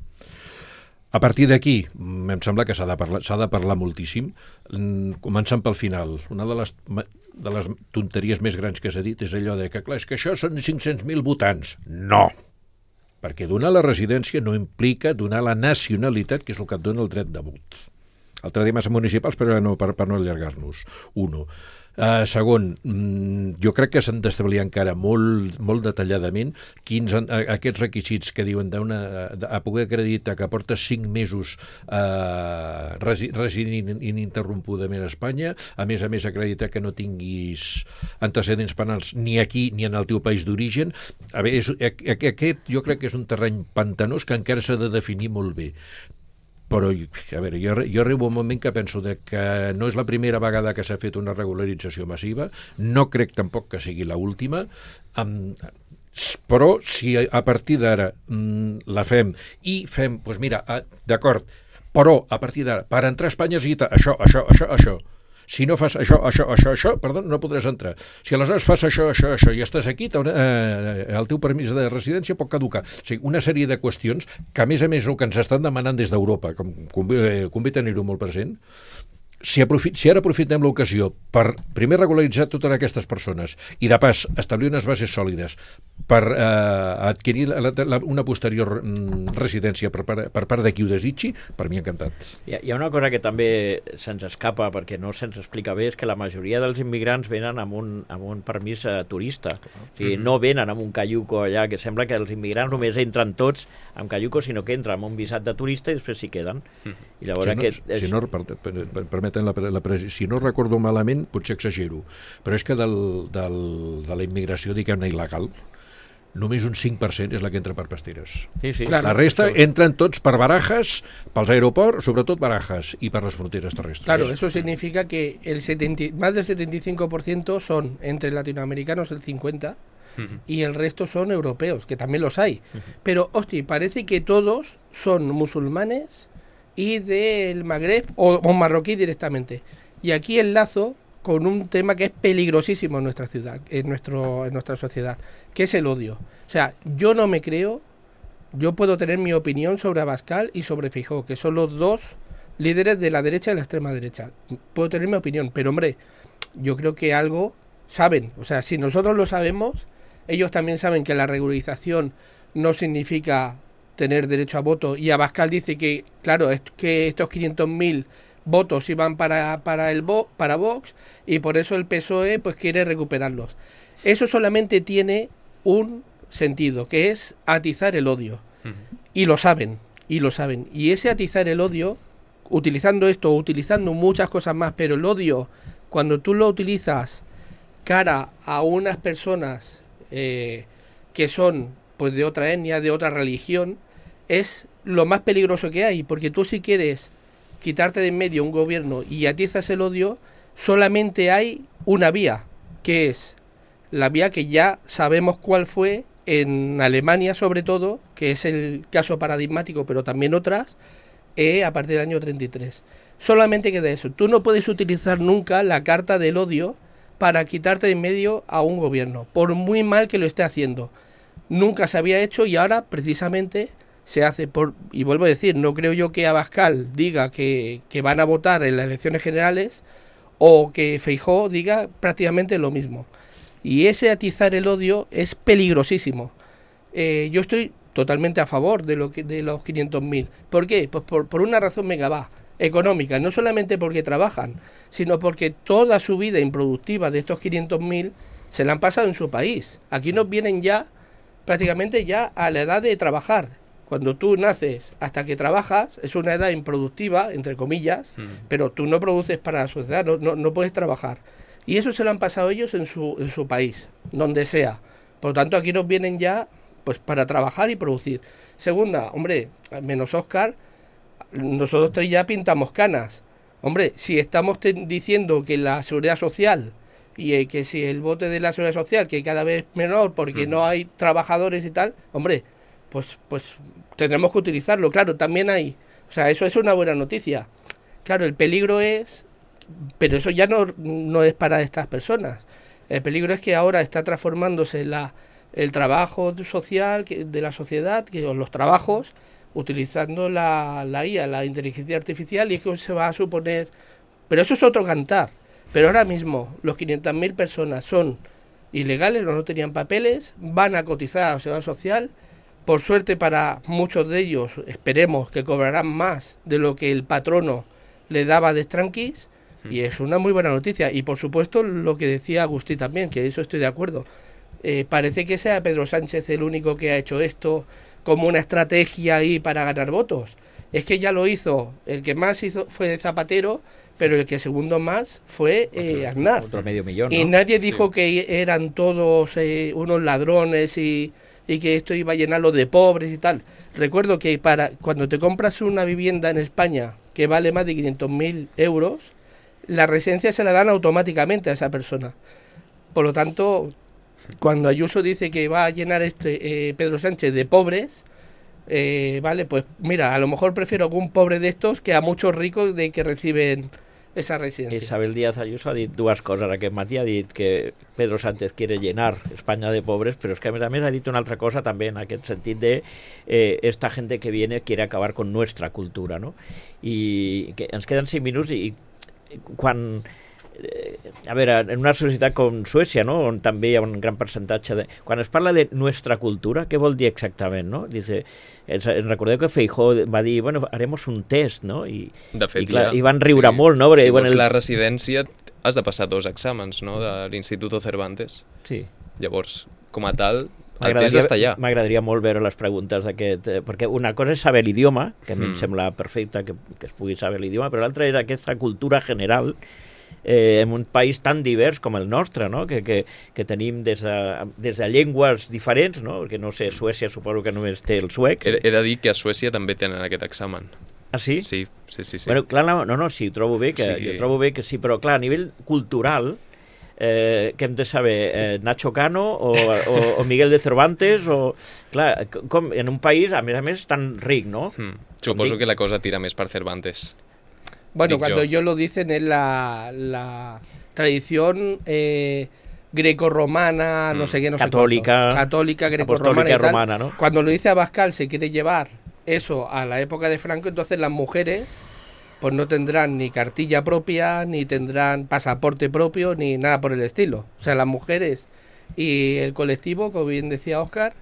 A partir d'aquí, em sembla que s'ha de parlar, s'ha de parlar moltíssim, començant pel final. Una de les, de les tonteries més grans que s'ha dit és allò de que, clar, és que això són cinc-cents mil votants. No! Perquè donar la residència no implica donar la nacionalitat, que és el que et dona el dret de vot. Altre dia massa municipals, però no, per, per no allargar-nos. Uno. Uh, segon, mm, jo crec que s'han d'establir encara molt, molt detalladament quins han, a, aquests requisits que diuen d'una, a poder acreditar que portes cinc mesos uh, resi, residint ininterrompudament a Espanya, a més a més acreditar que no tinguis antecedents penals ni aquí ni en el teu país d'origen. A veure, és, aquest jo crec que és un terreny pantanós que encara s'ha de definir molt bé. Però, a veure, jo, jo arribo un moment que penso de que no és la primera vegada que s'ha fet una regularització massiva, no crec tampoc que sigui l'última, um, però si a partir d'ara um, la fem i fem, doncs mira, uh, d'acord, però a partir d'ara, per entrar a Espanya és això, això, això, això. Si no fas això, això, això, això, perdó, no podràs entrar. Si aleshores fas això, això, això i estàs aquí, eh, el teu permís de residència pot caducar. O sigui, una sèrie de qüestions que, a més a més, el que ens estan demanant des d'Europa, com convé, convé tenir-ho molt present, si, aprofi si ara aprofitem l'ocasió per primer regularitzar totes aquestes persones i de pas establir unes bases sòlides per eh, adquirir la, la, una posterior mm, residència per, per, per part de qui ho desitgi, per mi encantat. Hi ha, hi ha una cosa que també se'ns escapa perquè no se'ns explica bé, és que la majoria dels immigrants venen amb un, amb un permís eh, turista. O sigui, no venen amb un caiuco allà, que sembla que els immigrants només entren tots amb caiuco, sinó que entren amb un visat de turista i després s'hi queden. I llavors Si no, aquest... És... si no, per, per, per, permeten la, la, la, si no recordo malament, potser exagero, però és que del, del, de la immigració, diguem-ne, il·legal, només un cinc per cent és la que entra per Pasteres. Sí, sí. Claro. La resta entren tots per Barajas, pels aeroports, sobretot Barajas, i per les fronteres terrestres. Claro, eso significa que el setenta, más del setenta y cinco por ciento son entre latinoamericanos el cincuenta por ciento y el resto son europeos, que también los hay. Pero, hostia, parece que todos son musulmanes y del Magreb o, o marroquí directamente. Y aquí enlazo con un tema que es peligrosísimo en nuestra ciudad, en, nuestro, en nuestra sociedad, que es el odio. O sea, yo no me creo, yo puedo tener mi opinión sobre Abascal y sobre Feijóo, que son los dos líderes de la derecha y la extrema derecha. Puedo tener mi opinión, pero hombre, yo creo que algo saben. O sea, si nosotros lo sabemos, ellos también saben que la regularización no significa tener derecho a voto, y Abascal dice que, claro, es que estos quinientos mil votos iban para, para, el Vo, para Vox, y por eso el P S O E pues quiere recuperarlos. Eso solamente tiene un sentido, que es atizar el odio. Uh-huh. Y lo saben, y lo saben. Y ese atizar el odio, utilizando esto, utilizando muchas cosas más, pero el odio, cuando tú lo utilizas cara a unas personas eh, que son pues de otra etnia, de otra religión, es lo más peligroso que hay, porque tú si quieres quitarte de en medio un gobierno y atizas el odio, solamente hay una vía, que es la vía que ya sabemos cuál fue en Alemania sobre todo, que es el caso paradigmático, pero también otras, eh, a partir del año treinta y tres. Solamente queda eso. Tú no puedes utilizar nunca la carta del odio para quitarte de en medio a un gobierno, por muy mal que lo esté haciendo. Nunca se había hecho y ahora precisamente se hace por, y vuelvo a decir, no creo yo que Abascal diga que, que van a votar en las elecciones generales o que Feijóo diga prácticamente lo mismo. Y ese atizar el odio es peligrosísimo. Eh, yo estoy totalmente a favor de, lo que, de los quinientos mil. ¿Por qué? Pues por, por una razón mega va, económica, no solamente porque trabajan, sino porque toda su vida improductiva de estos quinientos mil se la han pasado en su país. Aquí nos vienen ya prácticamente ya a la edad de trabajar. Cuando tú naces hasta que trabajas, es una edad improductiva, entre comillas, mm. pero tú no produces para la sociedad, no, no, no puedes trabajar. Y eso se lo han pasado ellos en su, en su país, donde sea. Por lo tanto, aquí nos vienen ya pues para trabajar y producir. Segunda, hombre, menos Óscar, nosotros tres ya pintamos canas. Hombre, si estamos diciendo que la seguridad social y eh, que si el bote de la seguridad social, que cada vez es menor porque mm. no hay trabajadores y tal, hombre, pues pues tendremos que utilizarlo. Claro, también hay, o sea, eso es una buena noticia. Claro, el peligro es, pero eso ya no, no es para estas personas. El peligro es que ahora está transformándose la, el trabajo social que, de la sociedad, que los trabajos, utilizando la, la I A, la inteligencia artificial, y es que se va a suponer, pero eso es otro cantar. Pero ahora mismo los quinientas mil personas son ilegales, no, no tenían papeles, van a cotizar a la seguridad social. Por suerte para muchos de ellos, esperemos que cobrarán más de lo que el patrono le daba de tranquis, y es una muy buena noticia. Y por supuesto lo que decía Agustí también, que eso estoy de acuerdo. Eh, parece que sea Pedro Sánchez el único que ha hecho esto como una estrategia ahí para ganar votos. Es que ya lo hizo, el que más hizo fue Zapatero, pero el que segundo más fue eh, Aznar. Otro medio millón, ¿no? Y nadie dijo Sí. que eran todos eh, unos ladrones y, y que esto iba a llenarlo de pobres y tal. Recuerdo que para cuando te compras una vivienda en España que vale más de quinientos mil euros, la residencia se la dan automáticamente a esa persona. Por lo tanto, cuando Ayuso dice que va a llenar este eh, Pedro Sánchez de pobres, eh, vale, pues mira, a lo mejor prefiero a algún pobre de estos que a muchos ricos de que reciben esa residencia. Isabel Díaz Ayuso ha dit dues coses aquest matí. Ha dit que Pedro Sánchez quiere llenar España de pobres, pero es que a més a més ha dit una altra cosa també en aquest sentit de eh, esta gente que viene quiere acabar con nuestra cultura, ¿no? I que ens queden cinc minuts i quan... A veure, en una societat com Suècia, no?, on també hi ha un gran percentatge de... Quan es parla de nostra cultura, què vol dir exactament, no? Dice, recordeu que Feijóo va dir, bueno, haremos un test, no? I, de fet, i, clar, ja, i van riure sí. molt, no? Perquè, si bueno, vols el... la residència has de passar dos exàmens, no?, de l'Instituto Cervantes. Sí. Llavors, com a tal, el test està allà. M'agradaria molt veure les preguntes d'aquest... Eh, perquè una cosa és saber l'idioma, que a mi mm. em sembla perfecte que, que es pugui saber l'idioma, però l'altra és aquesta cultura general Eh, en un país tan divers com el nostre, no? que, que, que tenim des de, des de llengües diferents, no? Perquè no sé, Suècia suposo que només té el suec. He, he de dir que a Suècia també tenen aquest examen. Ah, sí? Sí, sí, sí. sí. Bueno, clar, no, no, no, sí, trobo bé que, sí. jo trobo bé que sí, però clar, a nivell cultural, eh, que hem de saber, eh, Nacho Cano o, o, o Miguel de Cervantes, o, clar, com en un país, a més a més, tan ric, no? Hmm. Suposo que la cosa tira més per Cervantes. Bueno, Dic cuando yo. ellos lo dicen es la, la tradición eh, grecorromana, mm. no sé qué, no católica, sé cuánto. Católica, grecorromana y tal. Romana, ¿no? Cuando lo dice Abascal se quiere llevar eso a la época de Franco, entonces las mujeres pues no tendrán ni cartilla propia, ni tendrán pasaporte propio, ni nada por el estilo. O sea, las mujeres y el colectivo, como bien decía Óscar,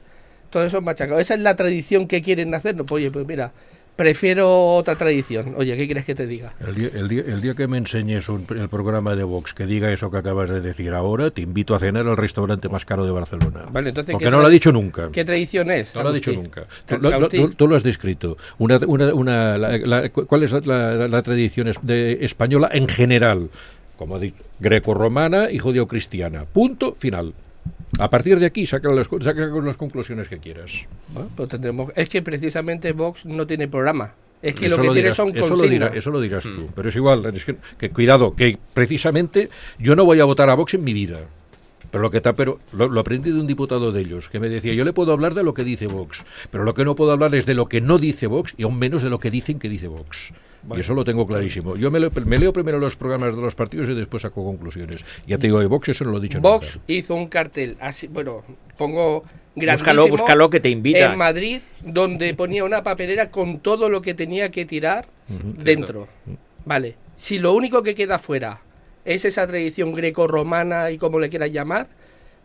todo eso es machacado. Esa es la tradición que quieren hacer. No, pues, oye, pues mira... Prefiero otra tradición. Oye, ¿qué quieres que te diga? El día, el día, el día que me enseñes un, el programa de Vox que diga eso que acabas de decir ahora, te invito a cenar al restaurante más caro de Barcelona. Vale, entonces, porque no lo ha dicho nunca. ¿Qué tradición es? No lo ha dicho nunca. Tú lo, lo, tú, tú lo has descrito. Una, una, una, la, la, ¿Cuál es la, la, la tradición de, española en general? Como ha dicho, greco-romana y judeo-cristiana. Punto final. A partir de aquí saca las, saca las conclusiones que quieras. Bueno, pues tendremos, es que precisamente Vox no tiene programa. Es que eso lo que lo tiene dirás, son eso consignas. Lo dirás, eso lo dirás tú. Pero es igual, es que, que cuidado, que precisamente yo no voy a votar a Vox en mi vida. Pero lo que está, pero lo, lo aprendí de un diputado de ellos, que me decía, yo le puedo hablar de lo que dice Vox, pero lo que no puedo hablar es de lo que no dice Vox y aún menos de lo que dicen que dice Vox. Bueno, y eso lo tengo clarísimo. Yo me, lo, me leo primero los programas de los partidos y después saco conclusiones. Ya te digo, de Vox eso no lo he dicho Vox nunca. hizo un cartel, así, bueno, pongo grandísimo, búscalo, búscalo que te invita. En Madrid, donde ponía una papelera con todo lo que tenía que tirar uh-huh. dentro. Uh-huh. Vale, si lo único que queda fuera es esa tradición greco-romana y como le quieras llamar,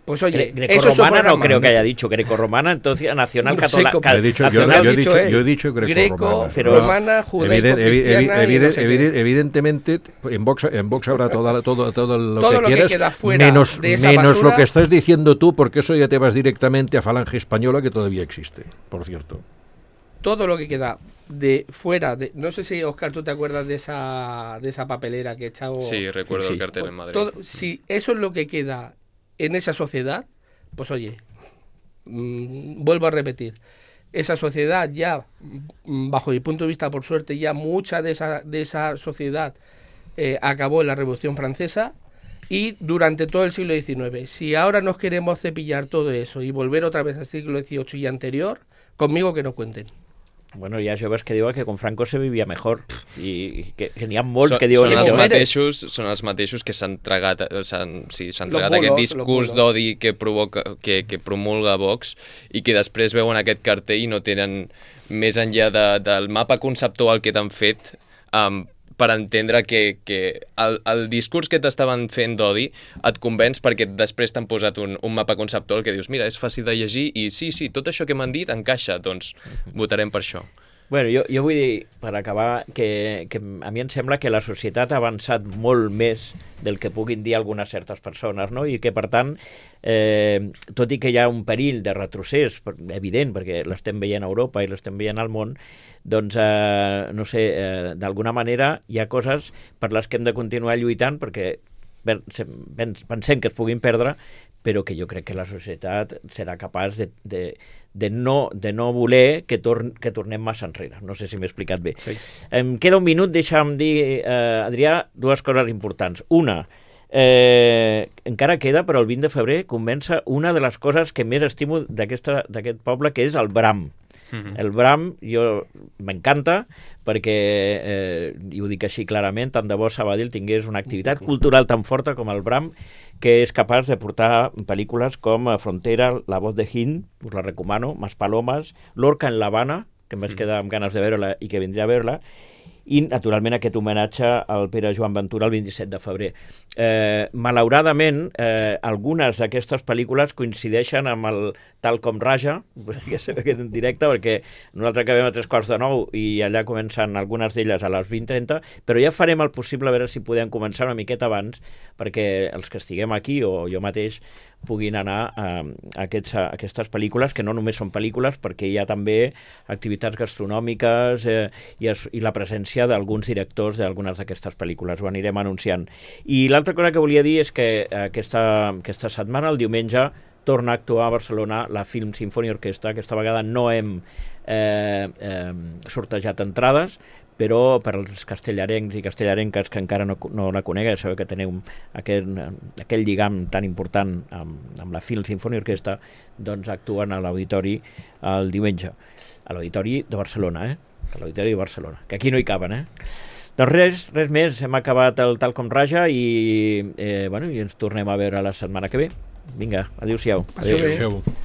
pues oye, Gre greco-romana no creo que haya dicho greco-romana, entonces nacional católica. He dicho, yo, yo, he dicho, yo he dicho greco-romana. Greco-romana, judaico-cristiana. Evident, evident, evident, evidentemente, en Vox, en Vox habrá toda, todo, todo lo todo que lo quieras, que queda fuera menos, de esa menos basura, lo que estás diciendo tú, porque eso ya te vas directamente a Falange Española, que todavía existe, por cierto. Todo lo que queda de fuera, de, no sé si, Óscar, tú te acuerdas de esa, de esa papelera que he echado. Sí, recuerdo sí. el cartel en Madrid. Todo, si eso es lo que queda en esa sociedad, pues oye, mmm, vuelvo a repetir, esa sociedad ya, bajo mi punto de vista, por suerte, ya mucha de esa, de esa sociedad eh, acabó en la Revolución Francesa y durante todo el siglo diecinueve. Si ahora nos queremos cepillar todo eso y volver otra vez al siglo dieciocho y anterior, conmigo que no cuenten. Bueno, hi ha joves que diuen que con Franco se vivia mejor i que, que n'hi ha molts són, que diuen són els això. mateixos, són els mateixos que s'han tragat, s'han sí, s'han tragat aquest discurs d'odi que provoca que, que promulga Vox i que després veuen aquest cartell i no tenen més enllà de, del mapa conceptual que t'han fet um, per entendre que, que el, el discurs que t'estaven fent d'odi et convenç perquè després t'han posat un, un mapa conceptual que dius, mira, és fàcil de llegir i sí, sí, tot això que m'han dit encaixa, doncs votarem per això. Bueno, jo, jo vull dir, per acabar, que, que a mi em sembla que la societat ha avançat molt més del que puguin dir algunes certes persones, no? I que, per tant, eh, tot i que hi ha un perill de retrocés, evident, perquè l'estem veient a Europa i l'estem veient al món, doncs, eh, no sé, eh, d'alguna manera hi ha coses per les que hem de continuar lluitant perquè pensem que es puguin perdre, però que jo crec que la societat serà capaç de, de, de, no, de no voler que, tor que tornem massa enrere. No sé si m'he explicat bé. Sí. Em queda un minut, deixa'm dir, eh, Adrià, dues coses importants. Una, eh, encara queda, però el vint de febrer comença una de les coses que més estimo d'aquest poble, que és el Bram. Mm-hmm. El Bram, jo m'encanta, perquè, eh, i ho dic així clarament, tant de bo Sabadell tingués una activitat cultural tan forta com el Bram, que és capaç de portar pel·lícules com Frontera, La voz de Hind, us la recomano, Mas Palomas, Lorca en l'Havana, que em vaig quedar amb ganes de veure-la i que vindré a veure-la, i, naturalment, aquest homenatge al Pere Joan Ventura el vint-i-set de febrer. Eh, malauradament, eh, algunes d'aquestes pel·lícules coincideixen amb el Tal com Raja, que és en directe, perquè nosaltres acabem a tres quarts de nou i allà comencen algunes d'elles a les vint trenta, però ja farem el possible a veure si podem començar una miqueta abans, perquè els que estiguem aquí, o jo mateix, puguin anar a, a, aquests, a aquestes pel·lícules, que no només són pel·lícules, perquè hi ha també activitats gastronòmiques eh, i, es, i la presència d'alguns directors d'algunes d'aquestes pel·lícules. Ho anirem anunciant. I l'altra cosa que volia dir és que aquesta, aquesta setmana, el diumenge, torna a actuar a Barcelona la Film Symphony Orquestra. Aquesta vegada no hem eh, eh, sortejat entrades, però per als castellarencs i castellarenques que encara no, no la coneguen, sabeu que teniu aquell, aquell lligam tan important amb, amb la Film Symphony Orquestra, doncs actuen a l'auditori el diumenge, a l'auditori de Barcelona, eh? A l'auditori de Barcelona, que aquí no hi caben, eh? Doncs res, res més, hem acabat el Tal com Raja i, eh, bueno, i ens tornem a veure la setmana que ve. Vinga, adéu-siau. Adéu. Adéu-siau.